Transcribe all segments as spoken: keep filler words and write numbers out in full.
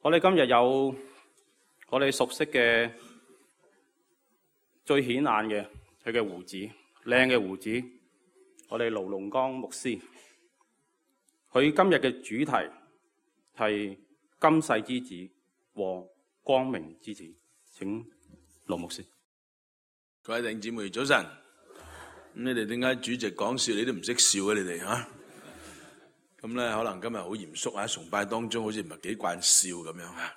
我哋今日有我哋熟悉嘅最顯眼嘅佢嘅胡子，靚嘅胡子。我哋盧龍江牧師，佢今日嘅主題係今世之子和光明之子。請盧牧師。各位弟兄姊妹早晨。咁你哋點解主席講笑你都唔識笑嘅？你哋吓？咁咧可能今日好嚴肅啊，崇拜當中好似唔係幾慣笑咁樣吓。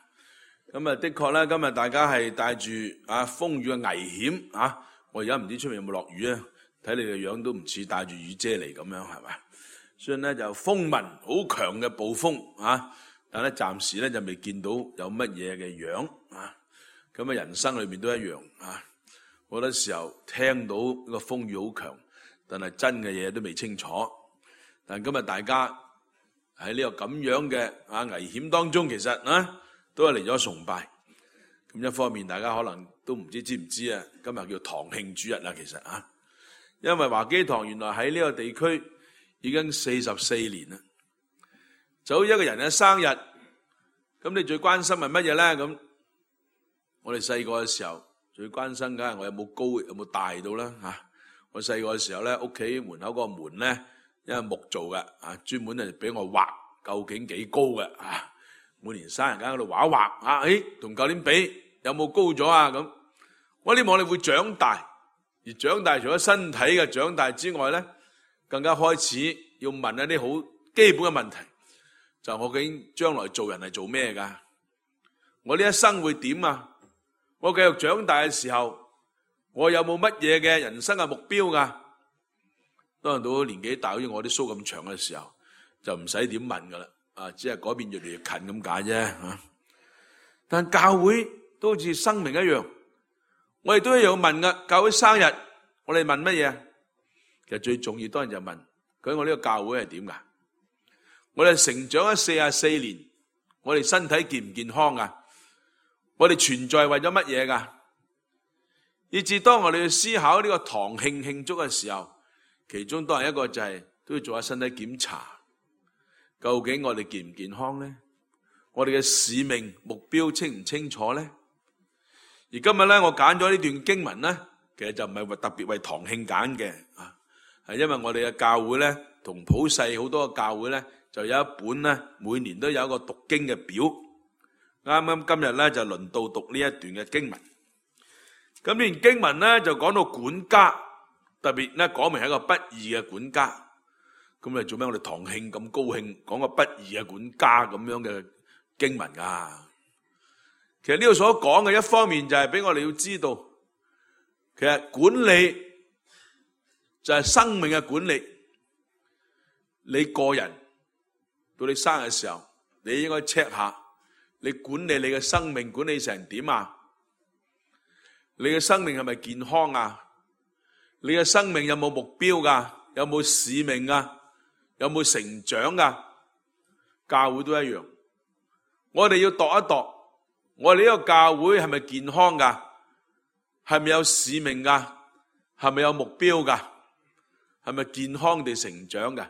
咁啊的確咧，今日大家係帶住啊風雨嘅危險啊！我而家唔知出面有冇落雨啊，睇你嘅樣都唔似帶住雨遮嚟咁樣，係咪？所以咧就風雲好強嘅暴風啊，但係咧暫時咧就未見到有乜嘢嘅樣啊。咁啊人生裏面都一樣啊，好多時候聽到個風雨好強，但係真嘅嘢都未清楚。但今日大家喺呢個咁樣嘅啊危險當中，其實啊都係嚟咗崇拜。咁一方面大家可能都唔知知唔知啊，今日叫堂慶主日啦，其實啊，因為華基堂原來喺呢個地區已經四十四年啦。就好似一個人嘅生日，咁你最關心係乜嘢咧？咁我哋細個嘅時候最關心梗係我有冇高有冇大到啦吓。我細個嘅時候咧，屋企門口個門咧，因為木做嘅啊，專門係俾我畫究竟幾高嘅啊。每年生日間喺度畫一畫啊，誒，同舊年比有冇高咗啊？咁我希望你會長大，而長大除咗身體嘅長大之外咧，更加開始要問一啲好基本嘅問題，就我究竟將來做人係做咩噶？我呢一生會點啊？我繼續長大嘅時候，我有冇乜嘢嘅人生嘅目標噶？當然到年紀大，好似我啲鬚咁長嘅時候，就唔使點問噶啦。啊，只係改變越嚟越近咁解啫吓。但教會都好似生命一樣，我哋都一樣問噶。教會生日，我哋問乜嘢？其實最重要當然就問，究竟我呢個教會係點噶？我哋成長咗四十四年，我哋身體健唔健康噶？我哋存在為咗乜嘢噶？以至當我哋去思考呢個堂慶慶祝嘅時候，其中當然一個就係都要做下身體檢查。究竟我哋健唔健康咧？我哋嘅使命目標清唔清楚咧？而今日咧，我揀咗呢段經文咧，其實就唔係為特別為堂慶揀嘅啊，係因為我哋嘅教會咧，同普世好多嘅教會咧，就有一本咧，每年都有一個讀經嘅表。啱啱今日咧就輪到讀呢一段嘅經文。咁呢段經文咧就講到管家，特別咧講明係一個不義嘅管家。咁你做咩？我哋堂慶咁高興，講個不義嘅管家咁樣嘅經文啊？其實呢度所講嘅一方面就係俾我哋要知道，其實管理就係生命嘅管理。你個人到你生日嘅時候，你應該 check 下，你管理你嘅生命管理成點啊？你嘅生命係咪健康啊？你嘅生命有冇目標噶？有冇使命啊？有冇成長噶？教會都一樣，我哋要度一度，我哋呢個教會係咪健康噶？係咪有使命噶？係咪有目標噶？係咪健康地成長噶？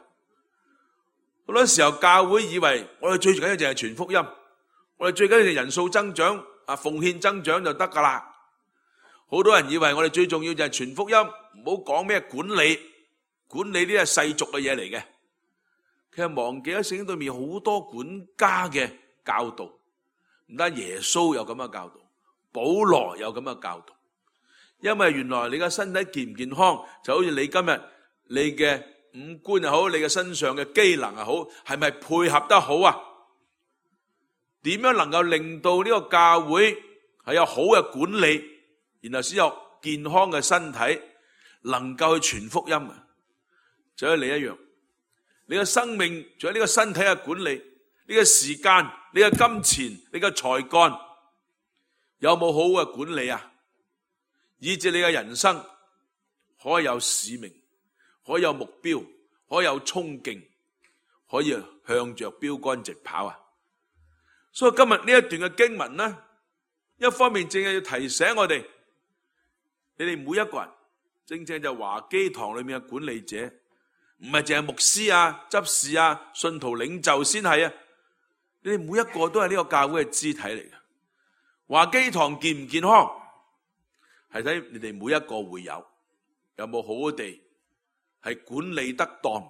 好多時候教會以為我哋最緊要就係傳福音，我哋最緊要就係人數增長啊，奉獻增長就得噶啦。好多人以為我哋最重要就係傳福音，唔好講咩管理，管理呢係世俗嘅嘢嚟嘅。其實忘記咗聖經對面好多管家嘅教導，唔單耶穌有咁嘅教導，保羅有咁嘅教導。因為原來你嘅身體健唔健康，就好似你今日你嘅五官又好，你嘅身上嘅機能又好，係咪配合得好啊？點樣能夠令到呢個教會係有好嘅管理，然後先有健康嘅身體，能夠去傳福音啊？就好似你一樣。你嘅生命仲有呢個身體嘅管理，呢個時間，你嘅金錢，你嘅才幹，有冇好嘅管理啊？以致你嘅人生可以有使命，可以有目標，可以有衝勁，可以向着標杆直跑啊！所以今日呢一段嘅經文呢，一方面正係要提醒我哋，你哋每一個人，正正就華基堂裏面嘅管理者。唔係淨係牧師啊、執事啊、信徒領袖先係啊，你哋每一個都係呢個教會嘅肢體嚟嘅。華基堂健唔健康，係睇你哋每一個會友有冇好好地係管理得當，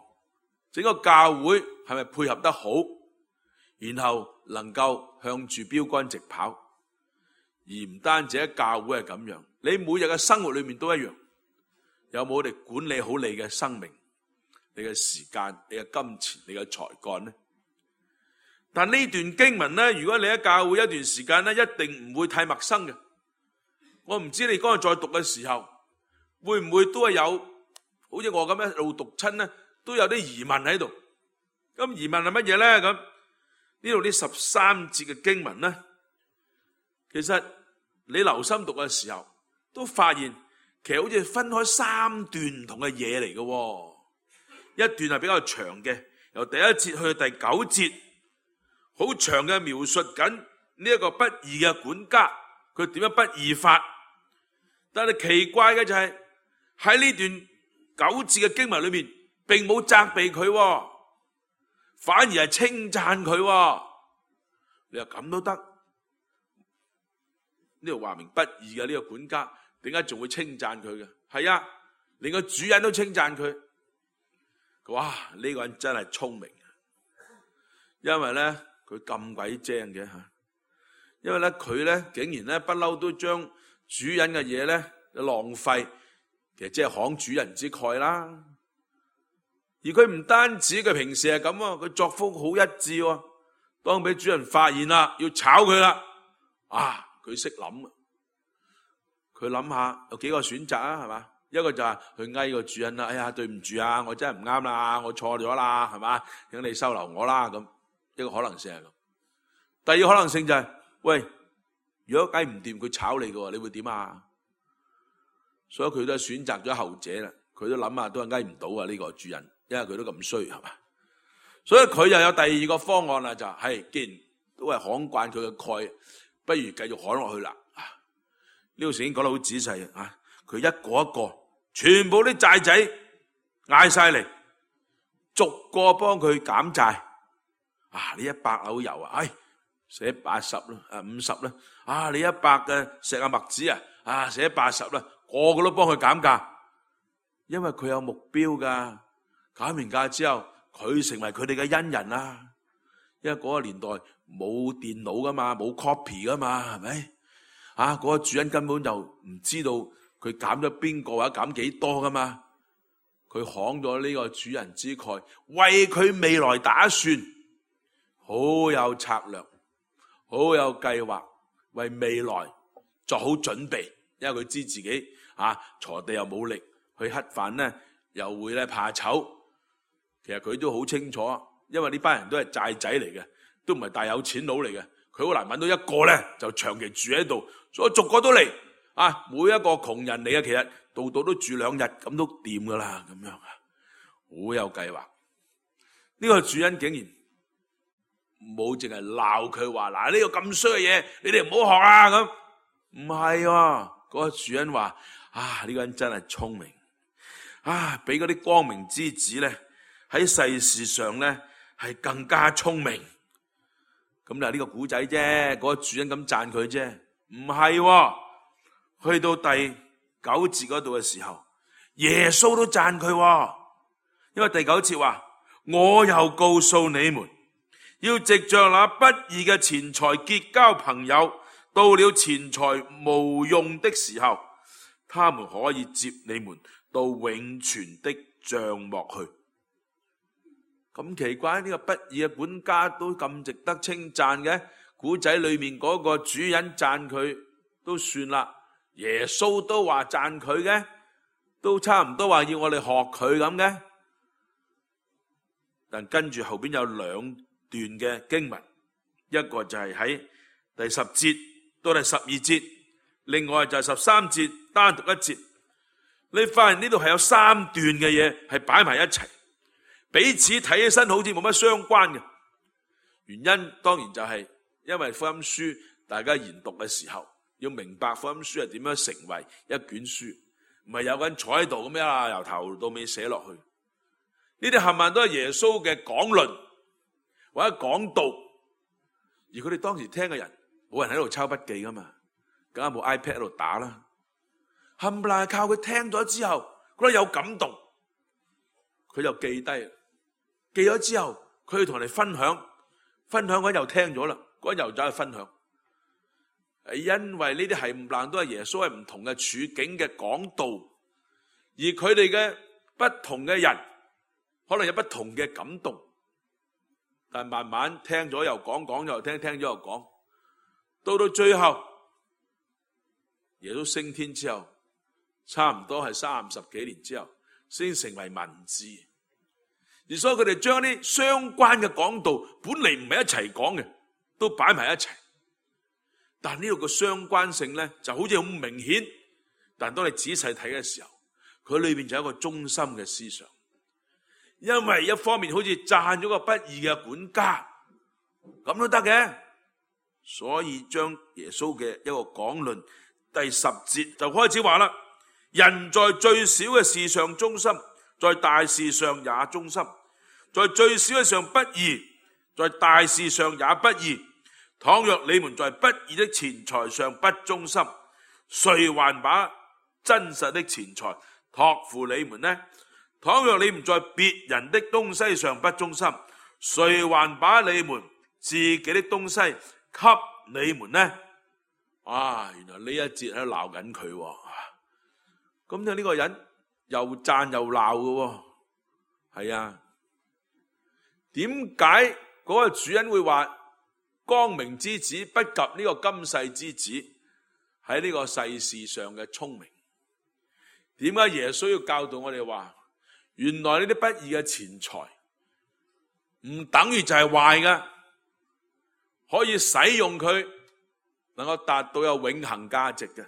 整個教會係咪配合得好，然後能夠向住標杆直跑。而唔單止喺教會係咁樣，你每日嘅生活裏面都一樣，有冇我哋管理好你嘅生命、你嘅時間、你嘅金錢、你嘅才幹呢？但呢段經文呢，如果你喺教會一段時間呢，一定唔會太陌生嘅。我唔知你嗰日再讀嘅時候，會唔會都係有好似我咁樣一路讀親呢，都有啲疑問喺度。咁疑問係乜嘢呢？咁呢度呢十三節嘅經文呢，其實你留心讀嘅時候，都發現其實好似分開三段唔同嘅嘢嚟嘅。一段係比較長嘅，由第一節去到第九節，好長嘅描述緊呢一個不義嘅管家，佢點樣不義法。但係奇怪嘅就係喺呢段九節嘅經文裏面，並冇責備佢，反而係稱讚佢。你話咁都得？呢度話明不義嘅呢個管家，點解仲會稱讚佢嘅？係啊，連個主人都稱讚佢。哇！呢、這個人真係聰明，因為咧佢咁鬼精嘅吓，因為咧佢咧竟然咧不嬲都將主人嘅嘢咧浪費，其實即係慷主人之慨啦。而佢唔單止佢平時係咁啊，佢作風好一致喎。當俾主人發現啦，要炒佢啦，啊！佢識諗，佢諗下有幾個選擇啊，係嘛？一個就係去哀個主人啦，哎呀，對唔住啊，我真係唔啱啦，我錯咗啦，係嘛？請你收留我啦，咁一個可能性係咁。第二個可能性就係、是，喂，如果計唔掂，佢炒你嘅，你會點啊？所以佢都係選擇咗後者啦。佢都諗下，都係挨唔到啊呢個主人，因為佢都咁衰，係嘛？所以佢又有第二個方案啦，就係、是，既然都係看慣佢嘅蓋，不如繼續看落去啦。呢度聖經講得好仔細啊！佢一個一個，全部啲債仔嗌晒嚟，逐個幫佢減債。啊，你一百簍油啊，唉，寫八十啦，啊五十啦。啊，你一百嘅石啊麥子啊，啊寫八十啦，個個都幫佢減價，因為佢有目標噶。減完價之後，佢成為佢哋嘅恩人啦。因為嗰個年代冇電腦噶嘛，冇 copy 噶嘛，係咪？啊，嗰個主人根本就唔知道佢減咗邊個或者減幾多噶嘛。佢慷咗呢個主人之慨，為佢未來打算，好有策略，好有計劃，為未來作好準備。因為佢知自己啊鋤地又冇力，去乞飯呢又會咧怕醜。其實佢都好清楚，因為呢班人都係債仔嚟嘅，都唔係大有錢佬嚟嘅。佢好難揾到一個咧就長期住喺度，所以逐個都嚟啊！每一個窮人嚟嘅，其實度度都住兩日咁都掂噶啦，咁樣啊，好有計劃。呢個主人竟然冇淨係鬧佢話嗱，呢個咁衰嘅嘢，你哋唔好學啊咁。唔係喎，嗰個主人話啊，呢個人真係聰明啊，比嗰啲光明之子咧喺世事上咧係更加聰明。咁就係呢個古仔啫，嗰個主人咁讚佢啫，唔係喎。去到第九節嗰度嘅時候，耶穌都讚佢喎，因為第九節話：我又告訴你們，要藉着那不義嘅錢財結交朋友，到了錢財無用的時候，他們可以接你們到永存的帳幕去。咁奇怪，呢個不義嘅管家都咁值得稱讚嘅，古仔裏面嗰個主人讚佢都算啦，耶穌都話讚佢嘅，都差唔多話要我哋學佢咁嘅。但跟住後邊有兩段嘅經文，一個就係喺第十節到第十二節，另外就係十三節單獨一節。你發現呢度係有三段嘅嘢係擺埋一齊，彼此睇起身好似冇乜相關嘅。原因當然就係因為福音書大家研讀嘅時候，要明白福音書係點樣成為一卷書，唔係有個人坐喺度咁樣啊，由頭到尾寫落去。呢啲冚唪唥都係耶穌嘅講論或者講道，而佢哋當時聽嘅人，冇人喺度抄筆記噶嘛，梗係冇 iPad 喺度打啦。冚唪唥係靠佢聽咗之後，覺得有感動，佢就記低，記咗之後，佢要同人哋分享，分享嗰又聽咗啦，嗰又走去分享。係因為呢啲冚唪唥都係耶穌喺唔同嘅處境嘅講道，而佢哋嘅不同嘅人，可能有不同嘅感動，但係慢慢聽咗又講，講又聽，聽咗又講，到到最後，耶穌升天之後，差唔多係三十幾年之後，先成為文字。而所以佢哋將啲相關嘅講道，本嚟唔係一齊講嘅，都擺埋一齊。但呢度嘅相關性咧，就好似好明顯。但當你仔細睇嘅時候，佢裏邊就有一個中心嘅思想。因為一方面好似讚咗個不義嘅管家，咁都得嘅。所以將耶穌嘅一個講論，第十節就開始話啦：人在最小嘅事上忠心，在大事上也忠心；在最小嘅上不義，在大事上也不義。倘若你們在不義的錢財上不忠心，誰還把真實的錢財託付你們呢？倘若你們在別人的東西上不忠心，誰還把你們自己的東西給你們呢？啊，原來呢一節喺度鬧緊佢，咁就呢個人又讚又鬧嘅，係啊？點解嗰個主人會話光明之子不及呢個今世之子喺呢個世事上嘅聰明？點解耶穌要教導我哋話，原來呢啲不義嘅錢財唔等於就係壞嘅，可以使用佢，能夠達到有永恆價值嘅。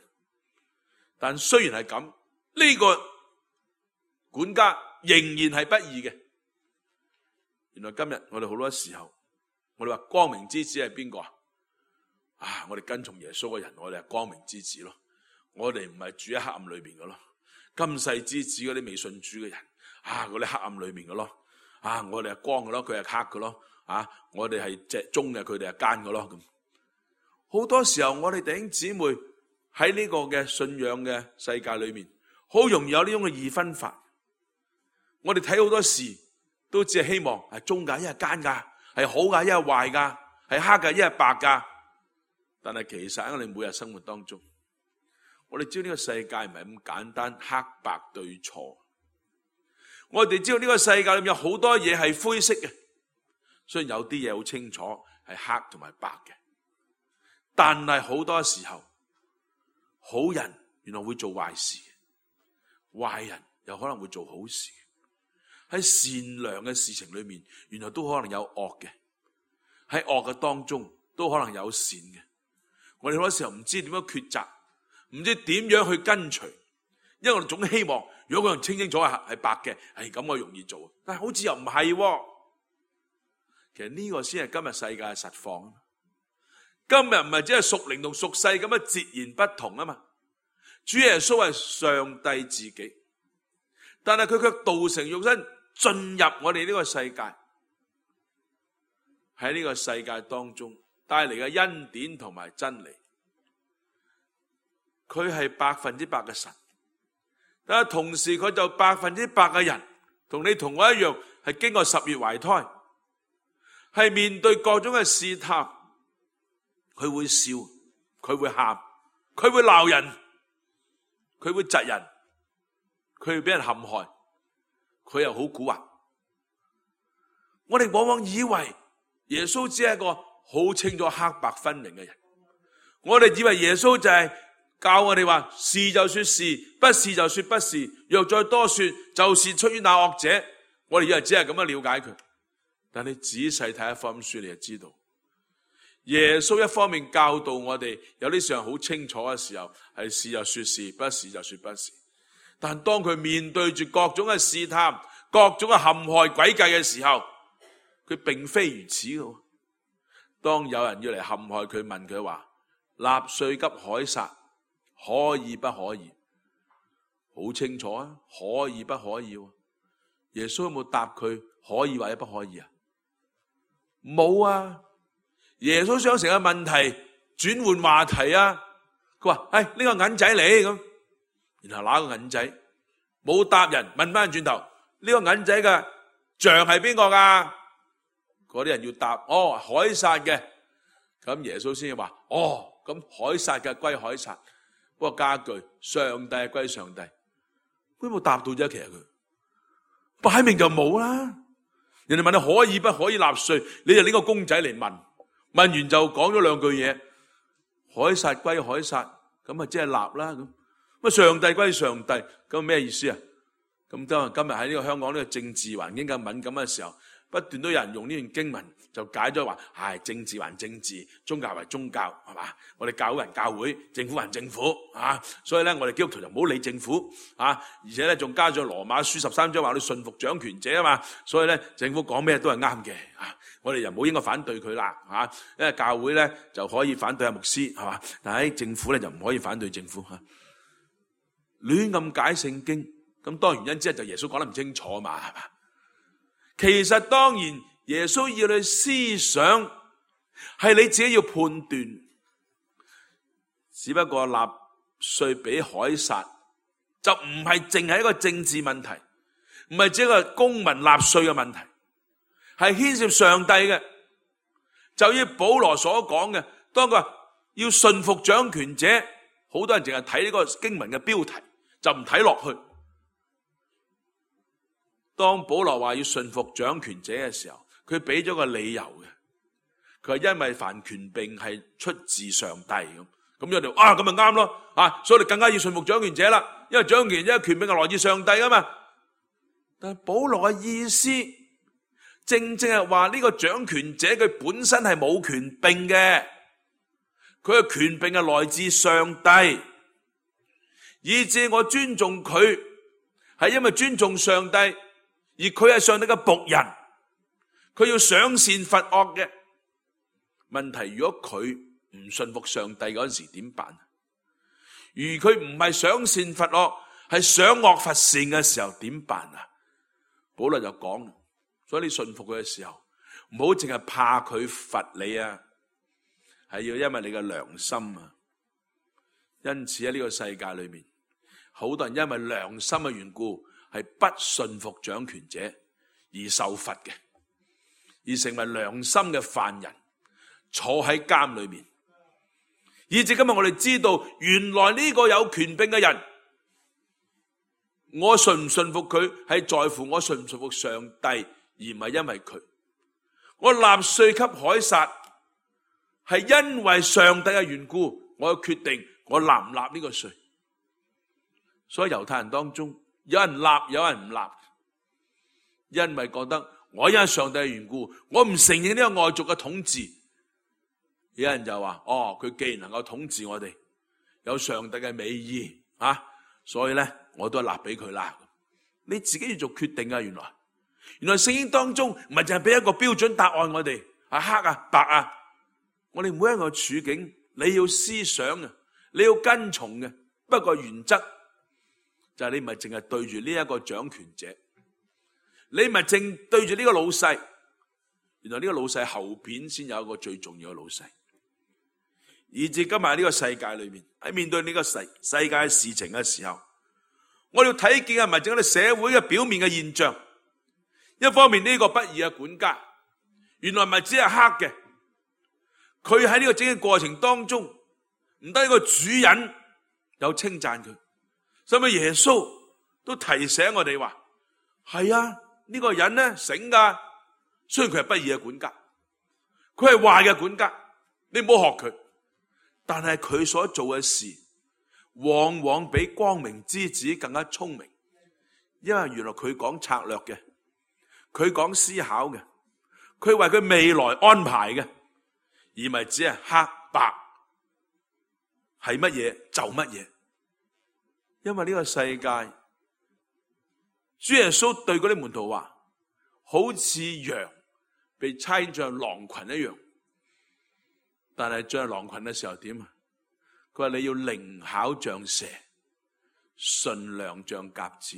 但雖然係咁，呢個管家仍然係不義嘅。原來今日我哋好多時候，我哋話光明之子係邊個啊？啊，我哋跟從耶穌嘅人，我哋係光明之子咯。我哋唔係住喺黑暗裏邊嘅咯。今世之子嗰啲未信主嘅人，啊，嗰啲黑暗裏面嘅咯。啊，我哋係光嘅咯，佢係黑嘅咯。啊，我哋係隻忠嘅，佢哋係奸嘅咯。咁好多時候，我哋弟兄姊妹喺呢個嘅信仰嘅世界裏面，好容易有呢種嘅二分法。我哋睇好多事，都只係希望係忠噶，一係奸噶，係好噶，一係壞噶，係黑噶，一係白噶。但係其實喺我哋每日生活當中，我哋知道呢個世界唔係咁簡單，黑白對錯。我哋知道呢個世界裏面有好多嘢係灰色嘅，雖然有啲嘢好清楚係黑同埋白嘅，但係好多時候，好人原來會做壞事，壞人又可能會做好事。喺善良嘅事情裏面，原來都可能有惡嘅；喺惡嘅當中，都可能有善嘅。我哋好多時候唔知點樣抉擇，唔知點樣去跟隨，因為我哋總希望，如果個人清清楚係係白嘅，係咁我容易做。但係好似又唔係，其實呢個先係今日世界嘅實況。今日唔係只係屬靈同屬世咁樣截然不同啊嘛。主耶穌係上帝自己，但係佢卻道成肉身進入我哋呢個世界，喺呢個世界當中帶嚟嘅恩典同埋真理。佢係百分之百嘅神，但係同時佢就百分之百嘅人，同你同我一樣，係經過十月懷胎，係面對各種嘅試探，佢會笑，佢會喊，佢會鬧人，佢會窒人，佢會俾人陷害，佢又好蠱惑。我哋往往以為耶穌只係一個好清楚黑白分明嘅人，我哋以為耶穌就係教我哋話是就說是，不是就說不是，若再多說，就是出於那惡者。我哋以為只係咁樣了解佢，但你仔細睇一福音書，你就知道耶穌一方面教導我哋有啲上好清楚嘅時候，係是就說是，不是就說不是。但當佢面對住各種嘅試探、各種嘅陷害詭計嘅時候，佢並非如此嘅。當有人要嚟陷害佢，問佢話納稅給凱撒可以不可以？好清楚啊，可以不可以？耶穌有冇答佢可以或者不可以啊？冇啊！耶穌想成個問題轉換話題啊，佢話：誒，呢個銀仔嚟咁，然後拿個銀仔，冇答人，問翻轉頭，呢個銀仔嘅像係邊個噶？嗰啲人要答，哦，凱撒嘅。咁耶穌先話：哦，咁凱撒嘅歸凱撒，不過加句上帝歸上帝。佢冇答到啫，其實佢擺明就冇啦。人哋問你可以不可以納稅，你就拎個公仔嚟問，問完就講咗兩句嘢，凱撒歸凱撒，咁啊即係納啦咁。咁上帝歸上帝，咁咩意思啊？咁當然今日喺呢個香港呢個政治環境咁敏感嘅時候，不斷都有人用呢段經文就解咗話，唉，政治還政治，宗教為宗教，係嘛？我哋教會還教會，政府還政府，啊，所以咧我哋基督徒就唔好理政府，啊，而且咧仲加咗羅馬書十三章話你順服掌權者啊嘛，所以咧政府講咩都係啱嘅，啊，我哋又唔好應該反對佢啦，啊，因為教會咧就可以反對阿牧師，係嘛？但係政府咧就唔可以反對政府，嚇，亂咁解聖經，咁當然原因之一就耶穌講得唔清楚嘛，係嘛？其實當然耶穌要你思想，係你自己要判斷。只不過納稅俾凱撒，就唔係淨係一個政治問題，唔係只係一個公民納稅嘅問題，係牽涉上帝嘅。就依保羅所講嘅，當佢話要順服掌權者，好多人淨係睇呢個經文嘅標題，就唔睇落去。當保羅話要順服掌權者嘅時候，佢俾咗個理由嘅，佢係因為凡權柄係出自上帝咁，咁有條啊咁咪啱咯，啊，所以你更加要順服掌權者啦，因為掌權者權柄係來自上帝噶嘛。但係保羅嘅意思，正正係話呢個掌權者佢本身係冇權柄嘅，佢嘅權柄係來自上帝，以致我尊重佢係因為尊重上帝。而佢係上帝嘅僕人，佢要賞善罰惡嘅。問題如果佢唔順服上帝嗰陣時點辦？如佢唔係賞善罰惡，係賞惡罰善嘅時候點辦啊？保羅就講，所以你順服佢嘅時候，唔好淨係怕佢罰你啊，係要因為你嘅良心啊。因此喺呢個世界裏面，好多人因為良心嘅緣故，係不順服掌權者而受罰嘅，而成為良心嘅犯人，坐喺監裏面。以至今日我哋知道，原來呢個有權柄嘅人，我順唔順服佢係在乎我順唔順服上帝，而唔係因為佢。我納稅給凱撒係因為上帝嘅緣故，我要決定我納唔納呢個稅。所以猶太人當中，有人納，有人唔納，因為覺得我因為上帝嘅緣故，我唔承認呢個外族嘅統治。有人就話：哦，佢既然能夠統治我哋，有上帝嘅美意啊，所以咧我都係納俾佢啦。你自己要做決定啊！原來，原來聖經當中唔係淨係俾一個標準答案我哋，係黑啊白啊。我哋每一個處境，你要思想啊，你要跟從嘅。不過原則。就係你唔係淨係對住呢一個掌權者，你唔係淨對住呢個老細，原來呢個老細後邊先有一個最重要嘅老細。以至今日呢個世界裏面，喺面對呢個世世界嘅事情嘅時候，我哋要睇見係咪淨係社會嘅表面嘅現象。一方面呢個不義嘅管家，原來唔係只係黑嘅，佢喺呢個整個過程當中，唔得一個主人有稱讚佢。所以耶穌都提醒我哋話：係啊，呢個人咧醒噶，雖然佢係不義嘅管家，佢係壞嘅管家，你唔好學佢。但係佢所做嘅事，往往比光明之子更加聰明，因為原來佢講策略嘅，佢講思考嘅，佢為佢未來安排嘅，而唔係只係黑白，係乜嘢就乜嘢。因為呢個世界，主耶穌對嗰啲門徒話，好似羊被差進狼群一樣。但係進入狼群嘅時候點啊？佢話你要靈巧像蛇，馴良像鴿子。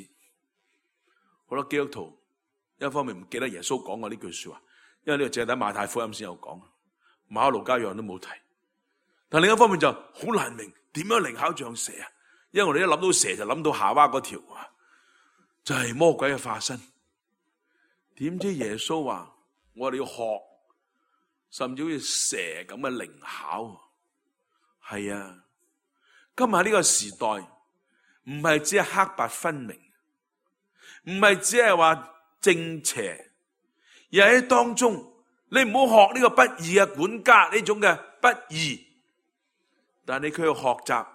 好多基督徒一方面唔記得耶穌講過呢句說話，因為呢個淨係喺馬太福音先有講。馬可路加約翰都冇提。但另一方面就好難明點樣靈巧像蛇啊，因為我哋一諗到蛇就諗到夏娃嗰條啊，就係魔鬼嘅化身。點知耶穌話我哋要學，甚至好似蛇咁嘅靈巧。係啊，今日呢個時代唔係只係黑白分明，唔係只係話正邪，而喺當中你唔好學呢個不義嘅管家呢種嘅不義，但你佢要學習，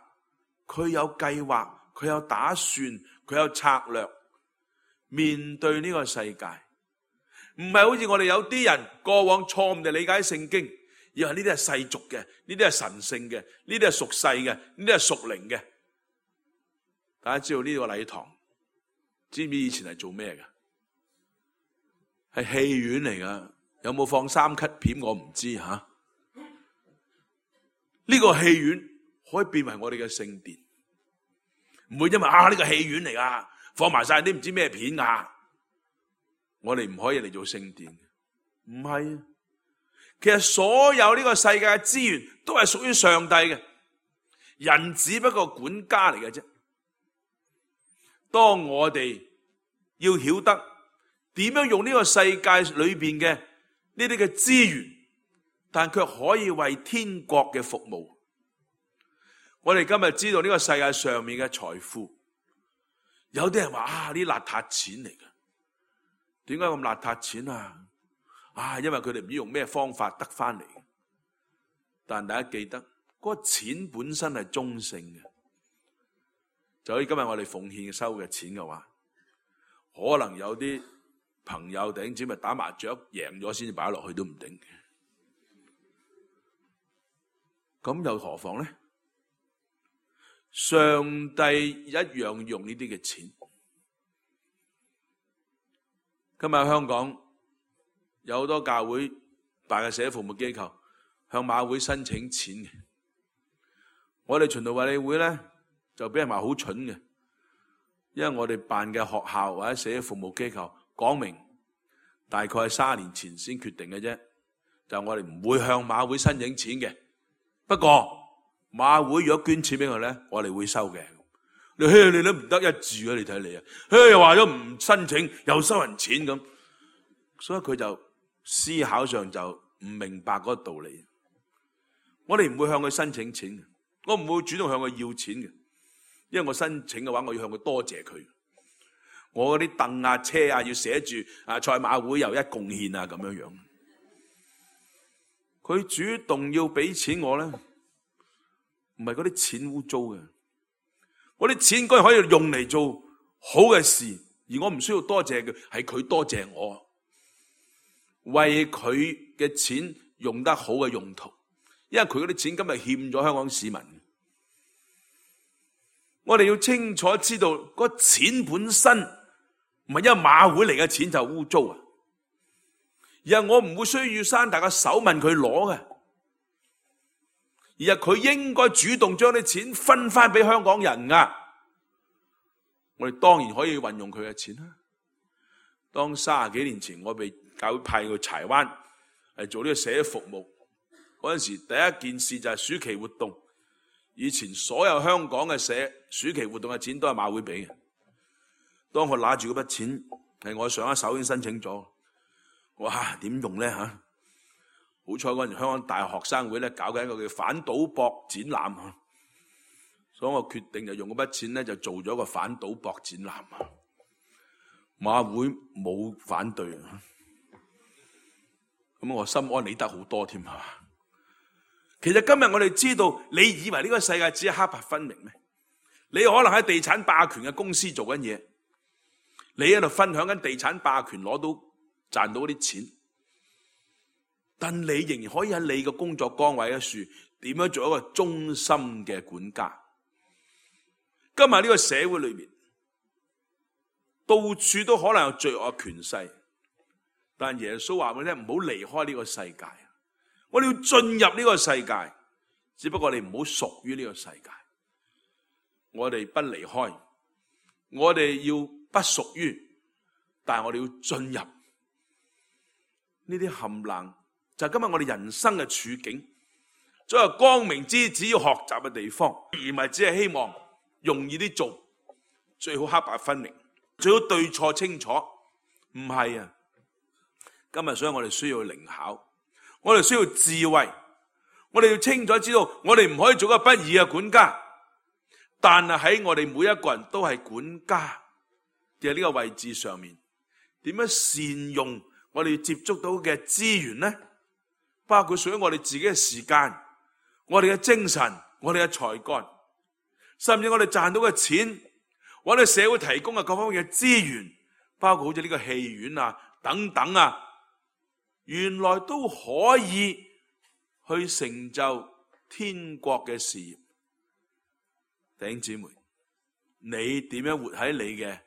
佢有計劃，佢有打算，佢有策略，面對呢個世界。唔係好似我哋有啲人過往錯誤地理解聖經，以為呢啲係世俗嘅，呢啲係神聖嘅，呢啲係屬世嘅，呢啲係屬靈嘅。大家知道呢個禮堂，知唔知以前係做咩嘅？係戲院嚟噶，有冇放三級片我唔知吓。呢、啊這個戲院可以變為我哋嘅聖殿，唔會因為啊呢、這個戲院嚟噶，放埋晒啲唔知咩片啊。我哋唔可以嚟做聖殿，唔係。其實所有呢個世界嘅資源都係屬於上帝嘅，人只不過管家嚟嘅啫。當我哋要曉得點樣用呢個世界裏邊嘅呢啲嘅資源，但卻可以為天國嘅服務。我哋今日知道呢個世界上面嘅財富，有啲人話啊，呢啲邋遢錢嚟嘅。點解咁邋遢錢啊？啊，因為佢哋唔知用咩方法得翻嚟。但大家記得，嗰個錢本身係中性嘅。就好似今日我哋奉獻收嘅錢嘅話，可能有啲朋友弟兄姊妹打麻雀贏咗先至擺落去都唔定嘅。咁又何況咧？上帝一樣用呢啲嘅錢。今日香港有好多教會辦嘅社會服務機構向馬會申請錢嘅，我哋循道衛理會咧就俾人話好蠢嘅，因為我哋辦嘅學校或者社會服務機構講明大概係三年前先決定嘅啫，就我哋唔會向馬會申請錢嘅。不過馬會如果捐錢俾我咧，我哋會收嘅。你嘿，你都唔得一致啊！你睇你啊，嘿又話咗唔申請，又收人錢咁，所以佢就思考上就唔明白嗰個道理。我哋唔會向佢申請錢嘅，我唔會主動向佢要錢嘅，因為我申請嘅話，我要向佢多謝佢。我嗰啲凳啊、車啊，要寫住啊賽馬會又一貢獻啊咁樣樣。佢主動要俾錢我咧，唔係嗰啲錢污糟嘅。我啲錢該可以用嚟做好嘅事，而我唔需要多謝佢，係佢多謝我，為佢嘅錢用得好嘅用途，因為佢嗰啲錢今日欠咗香港市民。我哋要清楚知道，嗰錢本身唔係因為馬會嚟嘅錢就污糟啊，而係我唔會需要山大嘅手問佢攞嘅。而係佢應該主動將啲錢分翻俾香港人噶，我哋當然可以運用佢嘅錢啦。當三十幾年前我被教會派去柴灣嚟做呢個社會服務嗰陣時，第一件事就係暑期活動。以前所有香港嘅社暑期活動嘅錢都係馬會俾嘅。當我拿住嗰筆錢，係我上一手已經申請咗，哇，點用咧吓？好彩嗰陣香港大學生會咧搞緊一個叫反賭博展覽，所以我決定就用嗰筆錢咧就做咗個反賭博展覽。馬會冇反對，咁我心安理得好多添係嘛？其實今日我哋知道，你以為呢個世界只係黑白分明咩？你可能喺地產霸權嘅公司做緊嘢，你喺度分享緊地產霸權攞到賺到嗰啲錢。但你仍然可以喺你嘅工作崗位嘅處，點樣做一個忠心嘅管家？今日呢個社會裏面，到處都可能有罪惡權勢，但耶穌話俾你聽，唔好離開呢個世界。我哋要進入呢個世界，只不過你唔好屬於呢個世界。我哋不離開，我哋要不屬於，但係我哋要進入呢啲冚冷就係今日我哋人生嘅處境，作為光明之子要學習嘅地方，而唔係只係希望容易啲做，最好黑白分明，最好對錯清楚。唔係啊，今日所以我哋需要靈巧，我哋需要智慧，我哋要清楚知道，我哋唔可以做一個不義嘅管家，但係喺我哋每一個人都係管家嘅呢個位置上面，點樣善用我哋接觸到嘅資源呢？包括屬於我哋自己嘅時間、我哋嘅精神、我哋嘅才幹，甚至我哋賺到嘅錢，我哋社會提供嘅各方面嘅資源，包括好似呢個戲院啊等等啊，原來都可以去成就天國嘅事業。弟兄姊妹，你點樣活喺你嘅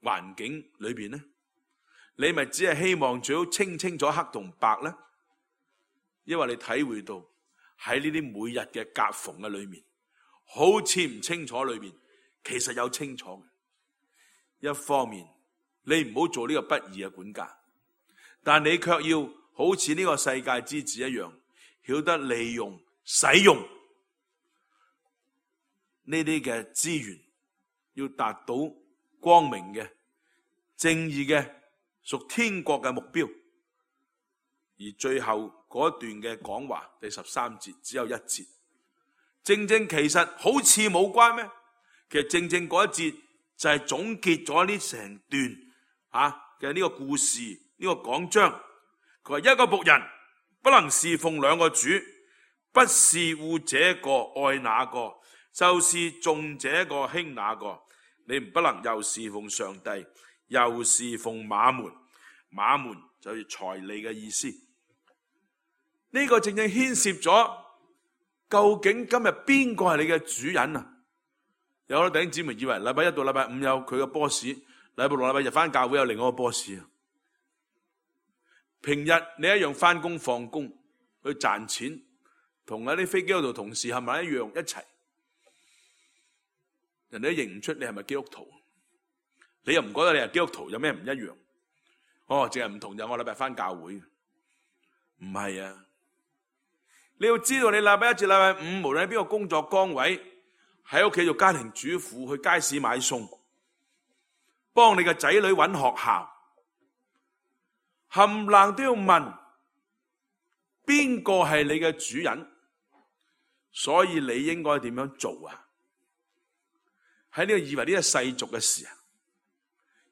環境裏邊呢？你咪只係希望最好清清楚黑同白呢？因為你體會到喺呢啲每日嘅夾縫嘅裏面，好似唔清楚裏面，其實有清楚嘅。一方面，你唔好做呢個不義嘅管家，但你卻要好似呢個世界之子一樣，曉得利用、使用呢啲嘅資源，要達到光明嘅、正義嘅、屬天國嘅目標。而最後嗰一段嘅講話，第十三節只有一節，正正其實好似冇關咩？其實正正嗰一節就係總結咗呢成段啊嘅呢個故事，呢個講章。佢話一個僕人不能侍奉兩個主，不是惡這個愛那個，就是重這個輕那個。你唔不能又侍奉上帝，又侍奉馬門。馬門就係財利嘅意思。呢、這個正正牽涉咗究竟今日邊個係你嘅主人啊？有好多弟兄姊妹以為禮拜一到禮拜五有佢嘅 boss， 禮拜六禮拜日翻教會有另外一個 boss 啊。平日你一樣翻工放工去賺錢，同嗰啲飛機嗰度同事係咪一樣一齊？人哋都認唔出你係咪基督徒，你又唔覺得你係基督徒，有咩唔一樣？哦，淨係唔同就我禮拜翻教會，唔係啊！你要知道，你禮拜一至禮拜五，無論喺邊個工作崗位，喺屋企做家庭主婦，去街市買餸，幫你嘅仔女揾學校，冚唪唥都要問邊個係你嘅主人，所以你應該點樣做啊？喺呢個以為呢個世俗嘅事啊，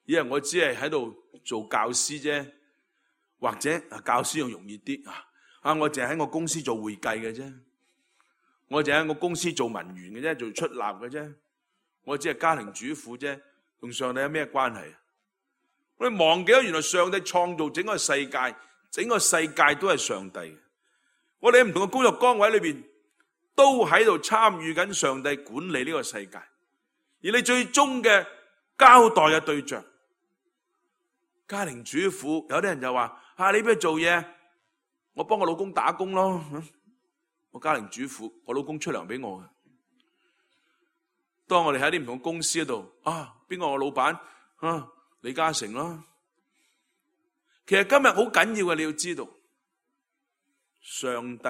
以為我只係喺度做教師啫，或者教師又容易啲啊。啊！我淨係喺我公司做會計嘅啫，我淨係喺我公司做文員嘅啫，做出納嘅啫，我只係家庭主婦啫，同上帝有咩關係啊？我哋忘記咗原來上帝創造整個世界，整個世界都係上帝嘅。我哋喺唔同嘅工作崗位裏邊，都喺度參與緊上帝管理呢個世界。而你最終嘅交代嘅對象，家庭主婦，有啲人就話：啊，你邊度做嘢？我幫我老公打工咯，我家庭主婦，我老公出糧俾我嘅。當我哋喺啲唔同公司嗰度，啊，邊個我老闆啊？李嘉誠咯。其實今日好緊要嘅，你要知道，上帝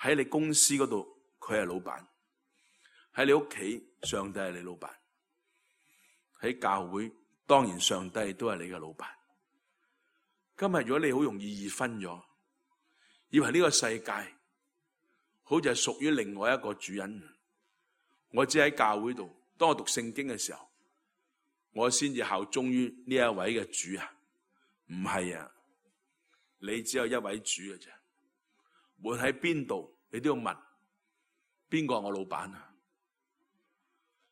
喺你公司嗰度，佢係老闆；喺你屋企，上帝係你老闆；喺教會，當然上帝都係你嘅老闆。今日如果你好容易二分咗，以為呢個世界好似係屬於另外一個主人，我只喺教會度，當我讀聖經嘅時候，我先至效忠於呢一位嘅主啊？唔係啊，你只有一位主嘅啫。無論喺邊度，你都要問邊個係我老闆啊？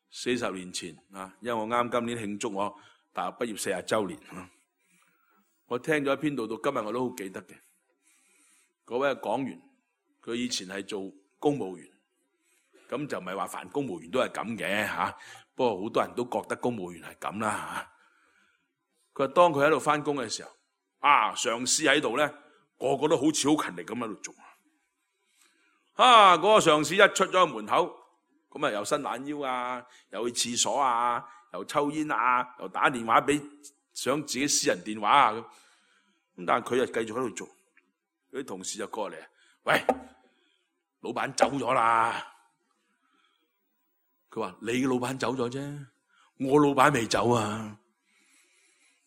四十年前啊，因為我啱今年慶祝我大學畢業四十周年啊。我聽咗一篇道，到今日我都好記得嘅。嗰位講員，佢以前係做公務員，咁就唔係話凡公務員都係咁嘅吓。不過好多人都覺得公務員係咁啦吓。佢話當佢喺度翻工嘅時候，啊，上司喺度咧，個個都好似好勤力咁喺度做。啊，嗰個上司一出咗門口，咁啊又伸懶腰啊，又去廁所啊，又抽煙啊，又打電話俾。想自己私人電話啊咁，咁但係佢又繼續喺度做。有啲同事就過嚟，喂，老闆走咗啦。佢話：你嘅老闆走咗啫，我老闆未走啊。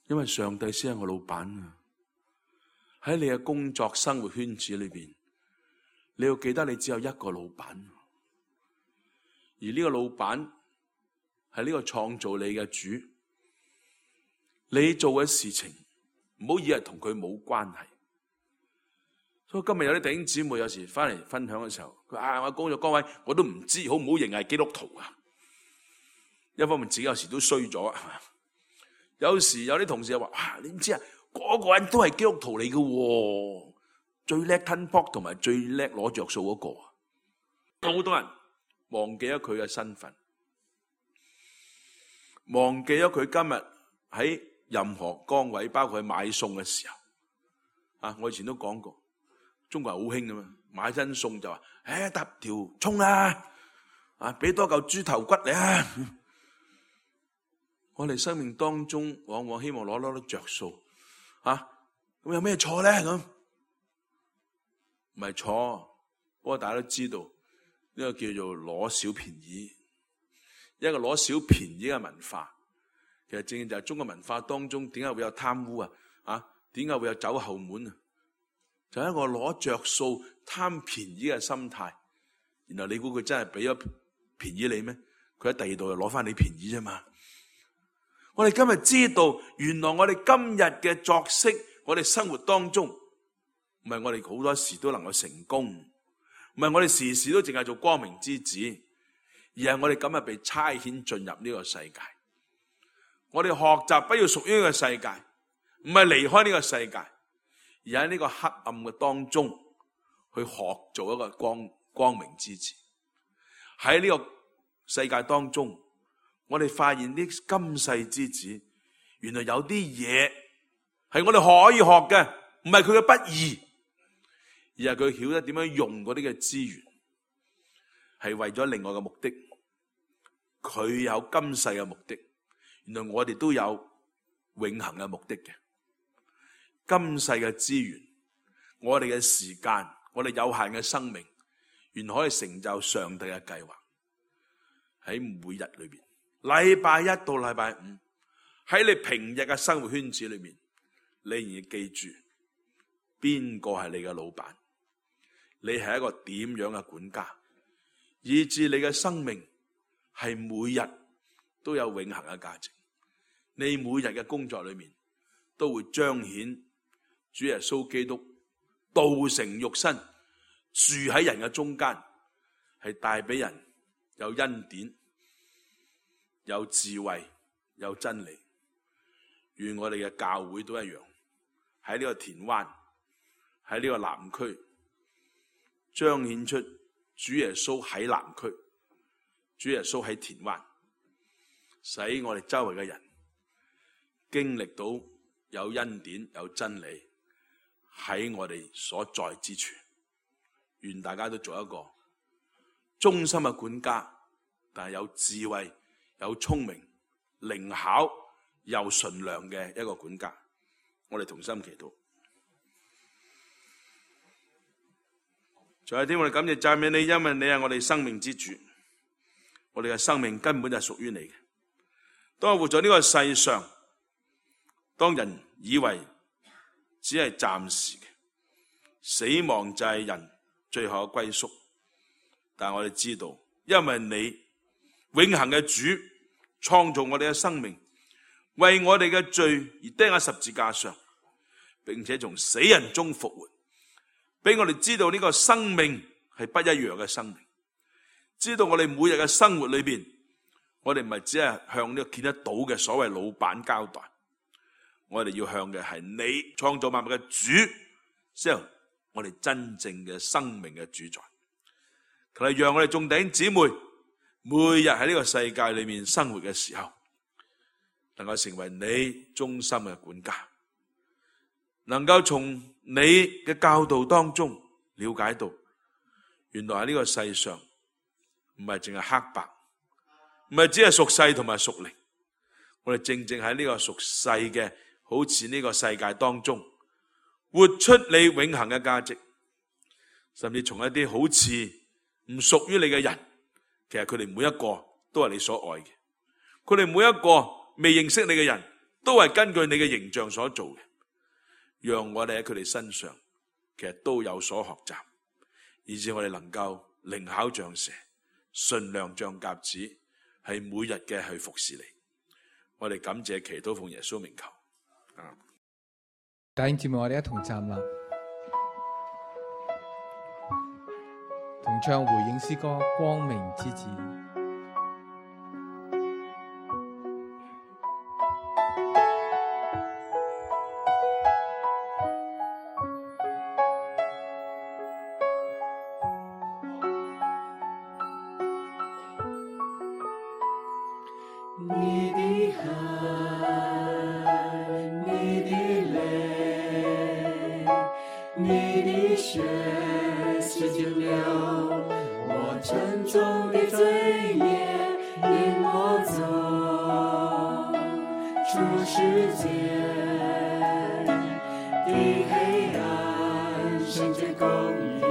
因為上帝先係我老闆啊。喺你嘅工作生活圈子裏邊，你要記得你只有一個老闆，而呢個老闆係呢個創造你嘅主。你做嘅事情唔好以為同佢冇關係。所以今日有啲弟兄姊妹有時翻嚟分享嘅時候，佢話：啊，我工作崗位我都唔知好唔好認係基督徒啊。一方面自己有時都衰咗，有時有啲同事又話：哇，你唔知啊，嗰個人都係基督徒嚟嘅，最叻吞泡同埋最叻攞着數嗰個。好多人忘記咗佢嘅身份，忘記咗佢今日喺任何崗位，包括去買餸嘅時候。啊，我以前都講過，中國人好興㗎嘛，買親餸就話：誒，搭條蔥啊，啊，俾多嚿豬頭骨你啊。我哋生命當中往往希望攞攞啲着數，啊，咁有咩錯咧？咁唔係錯，不過大家都知道呢個叫做攞小便宜，一個攞小便宜嘅文化，其實正正就係中國文化當中點解會有貪污啊？啊，點解會有走後門啊？就係一個攞着數貪便宜嘅心態，然後你估佢真係俾咗便宜你咩？佢喺第二度又攞翻你便宜啫嘛。我哋今日知道，原來我哋今日嘅作息，我哋生活當中，唔係我哋好多時都能夠成功，唔係我哋時時都淨係做光明之子，而係我哋今日被差遣進入呢個世界。我哋學習不要屬於呢個世界，唔係離開呢個世界，而喺呢個黑暗嘅當中去學做一個光光明之子。喺呢個世界當中，我哋發現啲今世之子，原來有啲嘢係我哋可以學嘅，唔係佢嘅不義，而係佢曉得點樣用嗰啲嘅資源，係為咗另外嘅目的。佢有今世嘅目的，原來我哋都有永恆嘅目的嘅。今世嘅資源，我哋嘅時間，我哋有限嘅生命，原來可以成就上帝嘅計劃。喺每日裏邊，禮拜一到禮拜五，喺你平日嘅生活圈子裏面，你仍然記住邊個係你嘅老闆，你係一個點樣嘅管家，以致你嘅生命係每日都有永恆嘅價值。你每日嘅工作裏面都會彰顯主耶穌基督道成肉身，住喺人嘅中間，係帶俾人有恩典、有智慧、有真理。願我哋嘅教會都一樣，喺呢個田灣，喺呢個南區，彰顯出主耶穌喺南區，主耶穌喺田灣，使我哋周圍嘅人經歷到有恩典、有真理喺我哋所在之處。願大家都做一個忠心嘅管家，但係有智慧、有聰明、靈巧又純良嘅一個管家。我哋同心祈禱。在天，我哋感謝讚美你，因為你係我哋生命之主，我哋嘅生命根本就係屬於你嘅。當我活在呢個世上，當人以為只係暫時嘅，死亡就係人最後嘅歸宿，但係我哋知道，因為你永恆嘅主創造我哋嘅生命，為我哋嘅罪而釘喺十字架上，並且從死人中復活，俾我哋知道呢個生命係不一樣嘅生命。知道我哋每日嘅生活裏邊，我哋唔係只係向呢個見得到嘅所謂老闆交代，我哋要向嘅係你創造萬物嘅主，之後我哋真正嘅生命嘅主宰。求你讓我哋眾弟兄姊妹每日喺呢個世界裏面生活嘅時候，能夠成為你忠心嘅管家，能夠從你嘅教導當中了解到，原來喺呢個世上唔係淨係黑白，唔係只係屬世同埋屬靈，我哋正正喺呢個屬世嘅，好似呢個世界當中，活出你永恆嘅價值，甚至從一啲好似唔屬於你嘅人，其實佢哋每一個都係你所愛嘅，佢哋每一個未認識你嘅人都係根據你嘅形象所做嘅，讓我哋喺佢哋身上其實都有所學習，以致我哋能夠靈巧像蛇，馴良像鴿子，係每日嘅去服侍你。我哋感謝祈禱奉耶穌名求。啊！弟兄姊妹，我哋一同站立，同唱回應詩歌《光明之子》。你的汗，你的淚，你的血洗淨了我沉重的罪孽，引我走出世界的黑暗，聖潔公義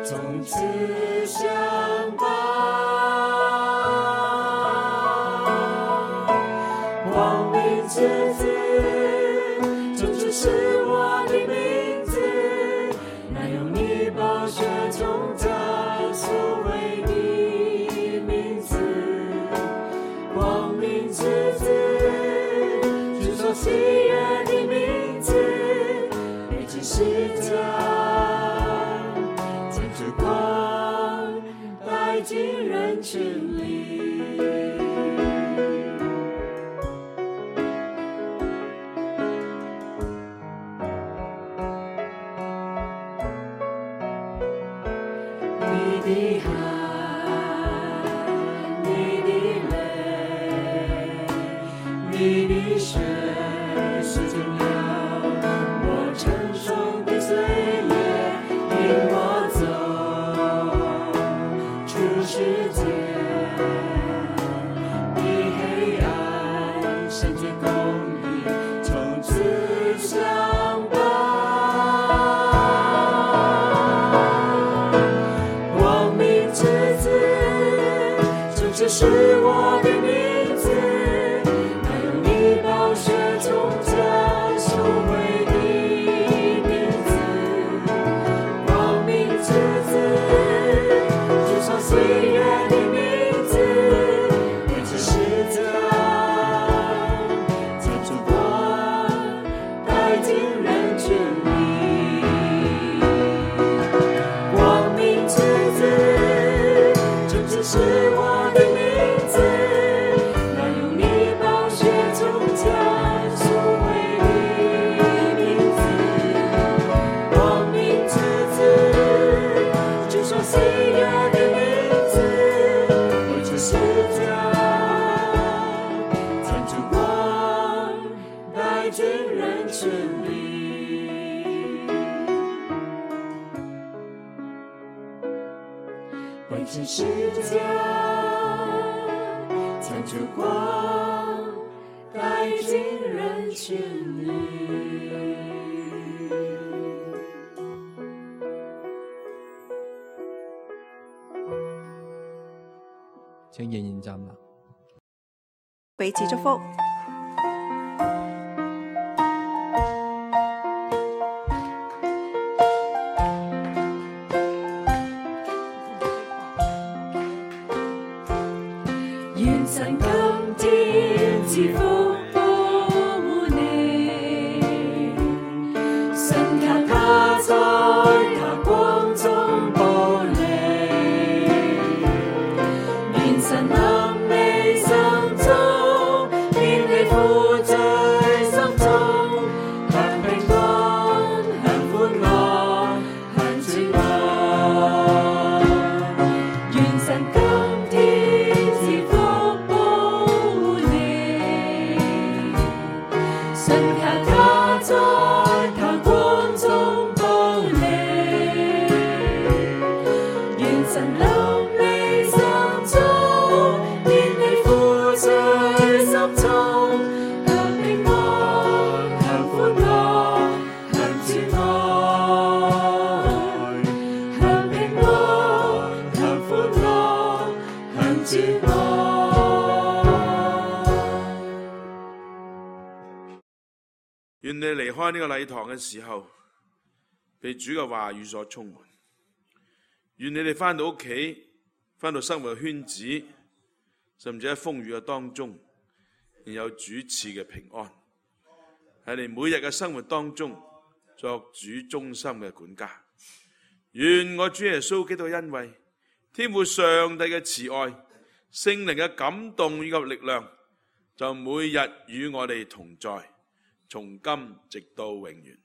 從此相伴。之子，這就是我的名字，那用你寶血從家贖回的名字，光明之子，主所喜悅的名字，你只是將將燭光帶進人群裡。你的汗，你的淚，你的血洗淨了我沉重的罪孽，引我走出世界的黑暗，聖潔公義從此相伴。這是我的名字，那用你寶血從家贖回的名字，光明之子，主所喜悅的名字，你只是將將燭光帶進人群裡，光明之子，這只是我为这世界将烛光带进人群里。請仍然站立，彼此祝福。願神今天賜福保護你，神給他在他光中保你，願神能你心中免你負罪心中，享平安，享歡樂，享全愛，願神今天賜福保護你。之愛。願你離開呢個禮堂嘅時候，被主嘅話語所充滿。願你哋返到屋企，返到生活嘅圈子，甚至喺風雨嘅當中，仍有主賜嘅平安。喺你每日嘅生活當中，作主忠心嘅管家。願我主耶穌基督嘅恩惠、天父上帝嘅慈愛、聖靈嘅感動以及力量，就每日與我哋同在，從今直到永遠。